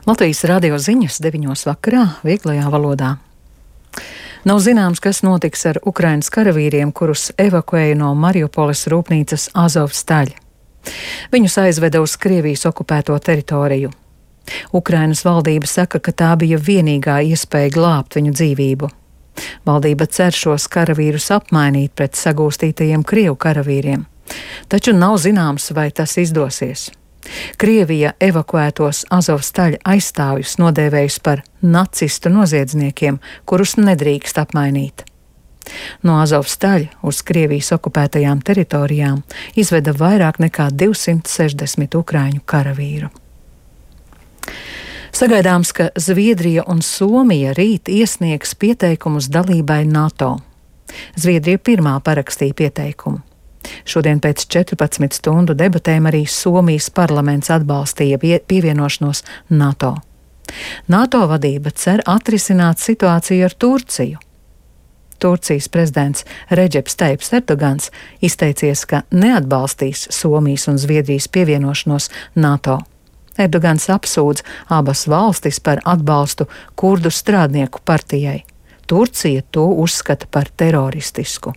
Latvijas radio ziņas 9 vakarā vieglajā valodā. Nav zināms, kas notiks ar Ukrainas karavīriem, kurus evakuēja no Mariupoles rūpnīcas Azovstaļ. Viņus aizveda uz Krievijas okupēto teritoriju. Ukrainas valdība saka, ka tā bija vienīgā iespēja glābt viņu dzīvību. Valdība cer šos karavīrus apmainīt pret sagūstītajiem Krievu karavīriem, taču nav zināms, vai tas izdosies. Krievija evakuētos Azovstaļa aizstāvjus nodēvējusi par nacistu noziedzniekiem, kurus nedrīkst apmainīt. No Azovstaļa uz Krievijas okupētajām teritorijām izveda vairāk nekā 260 ukraiņu karavīru. Sagaidāms, ka Zviedrija un Somija rīt iesniegs pieteikumus dalībai NATO. Zviedrija pirmā parakstīja pieteikumu. Šodien pēc 14 stundu debatēm arī Somijas parlaments atbalstīja pievienošanos NATO. NATO vadība cer atrisināt situāciju ar Turciju. Turcijas prezidents Redžeps Taips Erdogans izteicies, ka neatbalstīs Somijas un Zviedrijas pievienošanos NATO. Erdogans apsūdz abas valstis par atbalstu kurdu strādnieku partijai. Turcija to uzskata par teroristisku.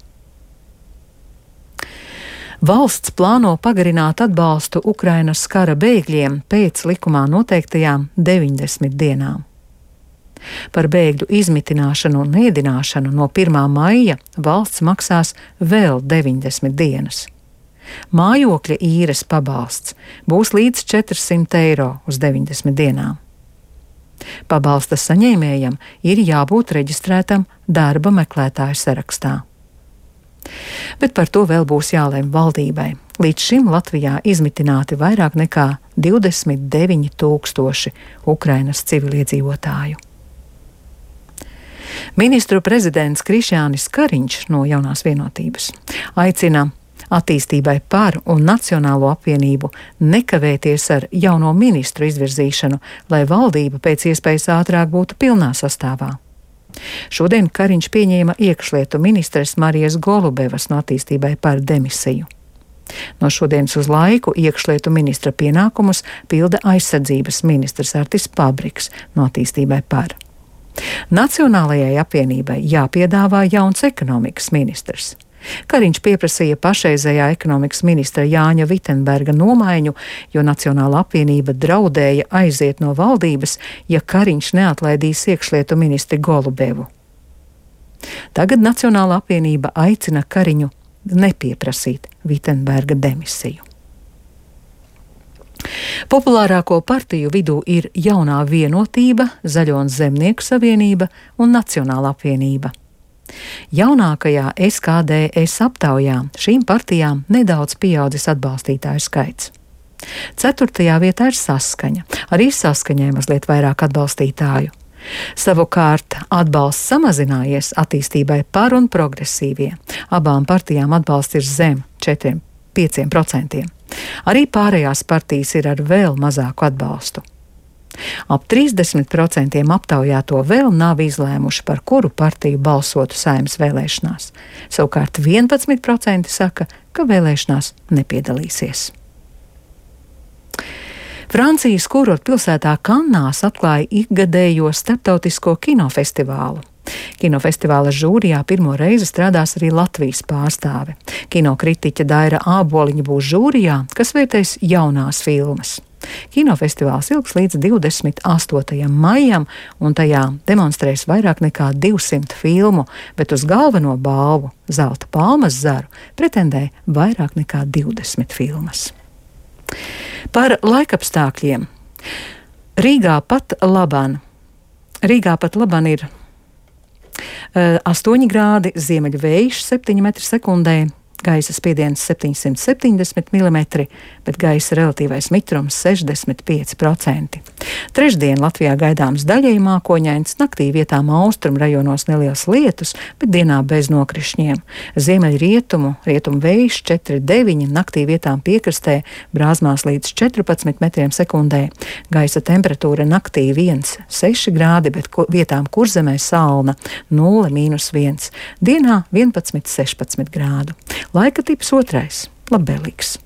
Valsts plāno pagarināt atbalstu Ukrainas kara bēgļiem pēc likumā noteiktajām 90 dienām. Par bēgļu izmitināšanu un ēdināšanu no 1. maija valsts maksās vēl 90 dienas. Mājokļa īres pabalsts būs līdz 400 eiro uz 90 dienām. Pabalsta saņēmējam ir jābūt reģistrētam darba meklētāju sarakstā. Bet par to vēl būs jālemj valdībai. Līdz šim Latvijā izmitināti vairāk nekā 29 000 Ukrainas civiliedzīvotāju. Ministru prezidents Krišjānis Kariņš no Jaunās vienotības aicina attīstībai par un Nacionālo apvienību nekavēties ar jauno ministru izvirzīšanu, lai valdība pēc iespējas ātrāk būtu pilnā sastāvā. Šodien Kariņš pieņēma iekšlietu ministres Marijas Golubevas no attīstībai par demisiju. No šodienas uz laiku iekšlietu ministra pienākumus pilda aizsardzības ministrs Artis Pabriks no attīstībai par. Nacionālajai apvienībai jāpiedāvā jauns ekonomikas ministrs. Kariņš pieprasīja pašreizējā ekonomikas ministra Jāņa Vitenberga nomaiņu, jo Nacionāla apvienība draudēja aiziet no valdības, ja Kariņš neatlaidīs iekšlietu ministri Golubevu. Tagad Nacionāla apvienība aicina Kariņu nepieprasīt Vitenberga demisiju. Populārāko partiju vidū ir Jaunā vienotība, Zaļo un Zemnieku savienība un Nacionāla apvienība. Jaunākajā SKDS aptaujā šīm partijām nedaudz pieaudzis atbalstītāju skaits. 4. vietā ir Saskaņa, arī Saskaņai mazliet vairāk atbalstītāju. Savukārt atbalsts samazinājies attīstībai par un progresīvie. Abām partijām atbalsts ir zem 4–5%. Arī pārējās partijas ir ar vēl mazāku atbalstu. Ap 30% aptaujāto vēl nav izlēmuši, par kuru partiju balsotu Saeimas vēlēšanās. Savukārt 11% saka, ka vēlēšanās nepiedalīsies. Francijas kurortpilsētā Kannās atklāja ikgadējo starptautisko kinofestivālu. Kinofestivāla žūrijā pirmo reizi strādās arī Latvijas pārstāve. Kinokritiķe Daira Āboliņa būs žūrijā, kas vērtēs jaunās filmas. Kinofestivāls ilgs līdz 28. maijam, un tajā demonstrēs vairāk nekā 200 filmu, bet uz galveno balvu Zelta palmas zaru pretendē vairāk nekā 20 filmas. Par laikapstākļiem. Rīgā pat laban ir 8 grādi, ziemeļu vējš 7 m/sekundē, gaisa spiediens 770 mm, bet gaisa relatīvais mitrums 65%. Trešdien Latvijā gaidāms daļēji mākoņains, naktī vietām austrumu rajonos neliels lietus, bet dienā bez nokrišņiem. Ziemeļrietumu vējš 4–9, naktī vietām piekrastē brāzmās līdz 14 m/sekundē. Gaisa temperatūra naktī 1–6 grādi, bet vietām kurzemē salna 0–1. Dienā 11–16 grādu. Laika tips 2. labvēlīgs.